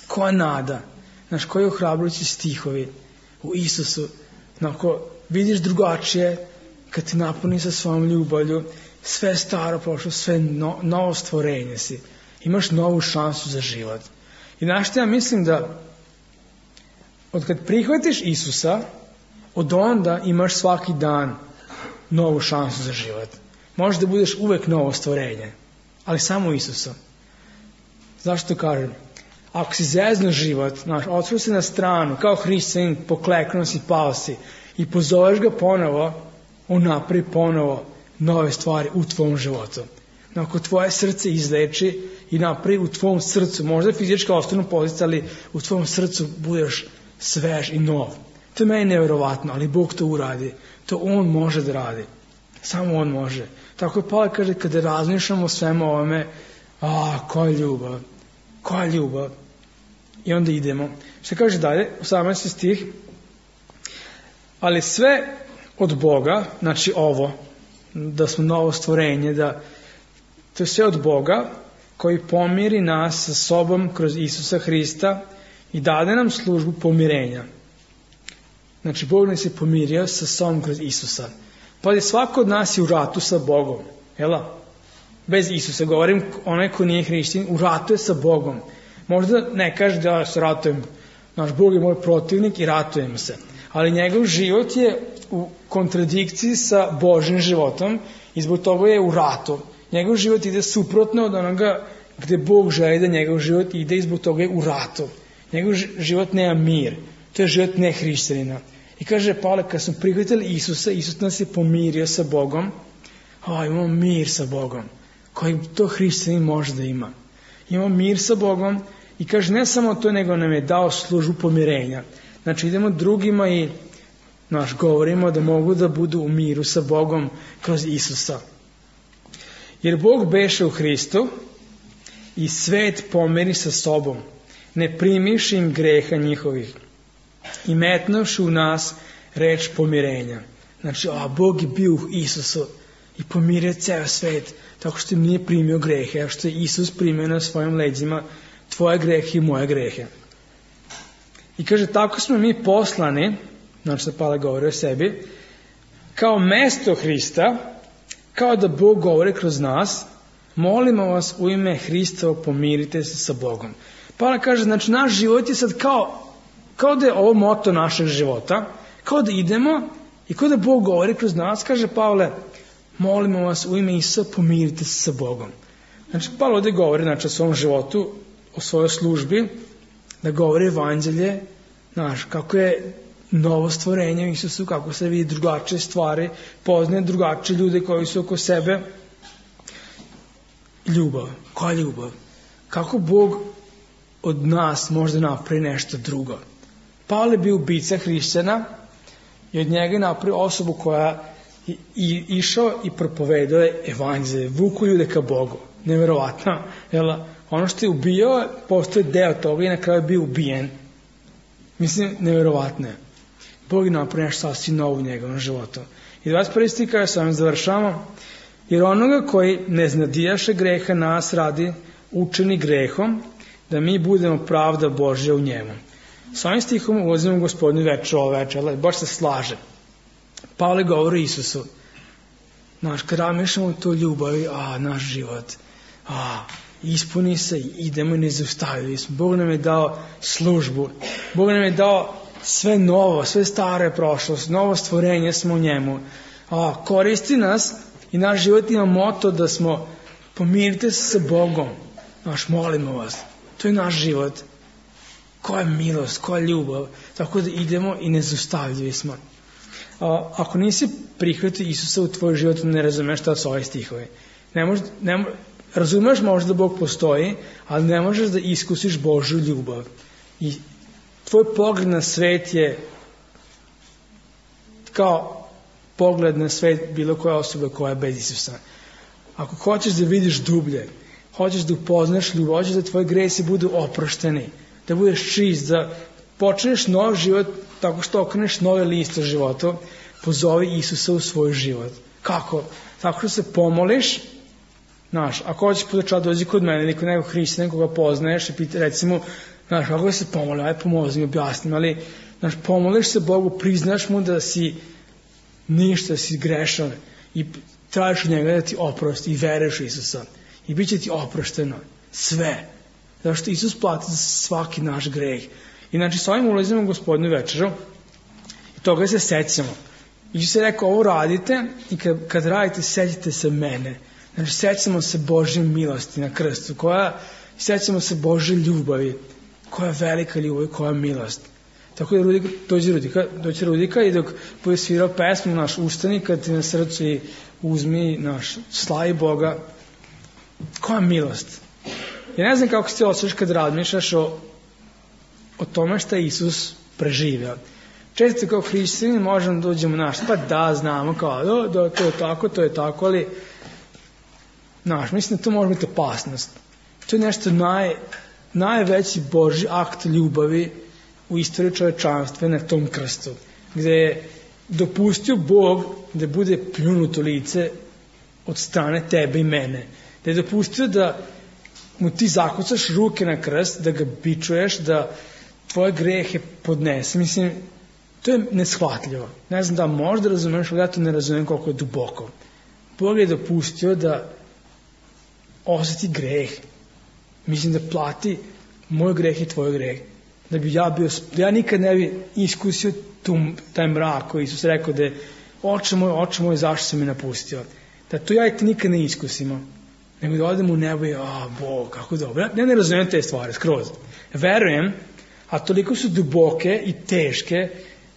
Koja nada, znaš, koji ohrabrujući stihovi u Isusu. Ako vidiš drugačije, kad te napuni sa svojom ljubavlju, sve staro prošlo, sve novo stvorenje si. Imaš novu šansu za život. I znaš što ja mislim da od kad prihvatiš Isusa, od onda imaš svaki dan novu šansu za život. Možeš da budeš uvek novo stvorenje, ali samo Isusa. Zašto kažem? Ako si zezno život, znaš, otvori se na stranu, kao hrišćanin, pokleknuo si, pao si i pozoveš ga ponovo, on napravi ponovo nove stvari u tvom životu. Ako tvoje srce izleči i napravi u tvom srcu, možda fizička ostanu pozicija, ali u tvom srcu budeš svež i nov. To je meni nevjerovatno, ali Bog to uradi. To On može da radi. Samo On može. Tako je Pavle kaže, kada razmišljamo o svemu ovome, koja ljubav, koja ljubav. I onda idemo. Što kaže dalje, 18. stih, ali sve od Boga, znači ovo, da smo novo stvorenje, da to je sve od Boga, koji pomiri nas sa sobom kroz Isusa Hrista i dade nam službu pomirenja. Znači, Bog nas je pomirio sa sobom kroz Isusa. Pa svako od nas je u ratu sa Bogom. Jela? Bez Isusa. Govorim, onaj ko nije hrišćanin, u ratu je sa Bogom. Možda ne kaže da ja se ratujem. Naš Bog je moj protivnik i ratujemo se. Ali njegov život je u kontradikciji sa Božim životom i zbog toga je u ratu. Njegov život ide suprotno od onoga gde Bog želi da njegov život ide i zbog toga je u ratu. Njegov život nema mir. To je život nehrišćanina. I kaže Pavle, kad smo prihvatili Isusa, Isus nas je pomirio sa Bogom. Imamo mir sa Bogom, koji to hrišćanin može da ima. Imamo mir sa Bogom i kaže ne samo to, nego nam je dao službu pomirenja. Znači idemo drugima i govorimo da mogu da budu u miru sa Bogom kroz Isusa. Jer Bog beše u Hristu i svet pomeri sa sobom, ne primiši im greha njihovih i metnuši u nas reč pomirenja. Znači, Bog je bio u Isusu i pomirio ceo svet, tako što im nije primio grehe, a što je Isus primio na svojim leđima tvoje grehe i moje grehe. I kaže, tako smo mi poslani, znači da Pavle govori o sebi, kao mesto Hrista, kao da Bog govori kroz nas, molimo vas u ime Hristovo, pomirite se sa Bogom. Pavle kaže, znači naš život je sad kao da je ovo moto našeg života, kao da idemo i kao da Bog govori kroz nas, kaže Pavle, molimo vas u ime Isusa, pomirite se sa Bogom. Znači, Pavle ovdje govori o svom životu, o svojoj službi, da govori evanđelje, kako je novo stvorenje u Isusu, kako se vidi drugačije stvari, poznaje drugačije ljude koji su oko sebe. Ljubav. Koja ljubav? Kako Bog od nas može napravi nešto drugo? Pavle je bio ubica hrišćana i od njega je napravio osobu koja je išao i propovedao je evanđelje, vuku ljude ka Bogu. Neverovatno. Ono što je ubijao, postoje deo toga i na kraju je bio ubijen. Mislim, neverovatno je. Bog je napravio nešto sasvim novo u njegovom životu. I 21. stih kada sa ovim završamo, jer onoga koji ne znadijaše greha nas radi učeni grehom, da mi budemo pravda Božja u njemu. S ovim stihom ulazimo u Gospodnju večer, ovo večer, ali baš se slaže. Pavle govori Isusu. Kad razmišljamo to ljubavi, naš život, ispuni se, idemo i ne zaustavili smo. Bog nam je dao službu. Bog nam je dao sve novo, sve staro je prošlost, novo stvorenje smo u njemu. Koristi nas i naš život ima moto da smo pomirite se sa Bogom. Molimo vas. To je naš život. Koja milost, koja ljubav. Tako da idemo i ne zaustavili smo. Ako nisi prihvatio Isusa u tvoj život, ne razumeš šta su ove stihove. razumeš možda da Bog postoji, ali ne možeš da iskusiš Božju ljubav. I tvoj pogled na svet je kao pogled na svet bilo koje osobe koja je bez Isusa. Ako hoćeš da vidiš dublje, hoćeš da upoznaš ljubav, hoćeš da tvoji gresi budu oprošteni, da budeš čist, da počneš nov život tako što okreneš nove liste života, pozovi Isusa u svoj život. Kako? Tako što se pomoliš, znaš, ako hoćeš podučati, dođi kod mene ili kod nekog hrišćanina koga poznaješ i pita, recimo, znaš, kako se pomoli, aj pomozi mi, objasnim, ali, znaš, pomoliš se Bogu, priznaš mu da si ništa, si grešan i tražiš od njega da ti oprosti i veruješ u Isusa i bit će ti oprošteno sve, zato što Isus plati za svaki naš greh. I znači s ovim ulazimo u Gospodnju večeru i toga se sećamo. Isus je rekao, ovo radite i kad radite, sećate se mene. Znači sećamo se Božje milosti na krstu, sećamo se Božje ljubavi, koja je velika ljubav i koja je milost. Tako da dođe Rudika i dok bude svirao pesmu, naš ustani kad ti na srcu i uzmi, naš slavi Boga, koja je milost. Ja ne znam kako se ti osjećaš kad razmišljaš o tome šta je Isus preživio. Često kao hrišćani možemo da uđemo naš, pa da, znamo kao, da, to je tako, ali naš, mislim da to može biti opasnost. To je nešto najveći Božji akt ljubavi u istoriji čovečanstva na tom krstu, gde je dopustio Bog da bude pljunut u lice od strane tebe i mene, da je dopustio da mu ti zakucaš ruke na krst, da ga bičuješ, da tvoje grehe podnese. Mislim, to je neshvatljivo. Ne znam da možda razumeš, ali ja to ne razumem koliko je duboko. Bog je dopustio da osjeti greh. Mislim da plati moj greh i tvoj greh. Da bi ja nikad ne bi iskusio taj mrak koji Isus rekao da je oče moj, zašto se mi napustio. Da to ja i ti nikad ne iskusimo. Nego da odem u nebo i, Bog, kako dobro. Ja ne razumem te stvari, skroz. Verujem, a toliko su duboke i teške,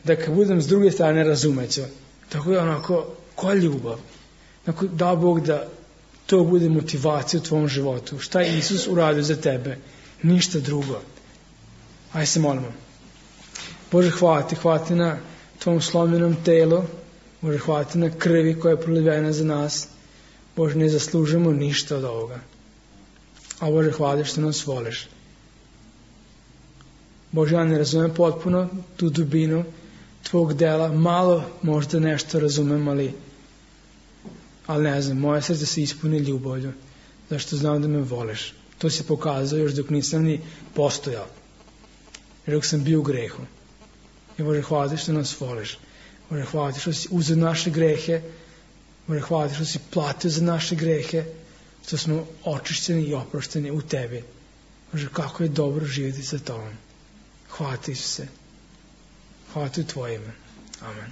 da kad budem s druge strane razumeću. Tako je onako, koja ljubav. Tako da Bog da to bude motivacija u tvom životu. Šta je Isus uradio za tebe? Ništa drugo. Ajde se molimo. Bože, hvala ti na tvom slomljenom telu. Bože, hvala ti na krvi koja je prolivena za nas. Bože, ne zaslužujemo ništa od ovoga. A Bože, hvala što nas voliš. Bože, ja ne razumem potpuno tu dubinu tvog dela. Malo možda nešto razumem, ali ne znam, moje srce se ispuni ljubavlju, zašto znam da me voliš. To si pokazao još dok nisam ni postojao. Još dok sam bio u grehu. I Bože, hvala ti što nas voliš. Bože, hvala ti što si uzeo naše grehe. Bože, hvala ti što si platio za naše grehe, što smo očišćeni i oprošteni u tebi. Bože, kako je dobro živjeti sa tobom. Hvala ti, Isuse. Hvala ti u tvoje ime. Amen.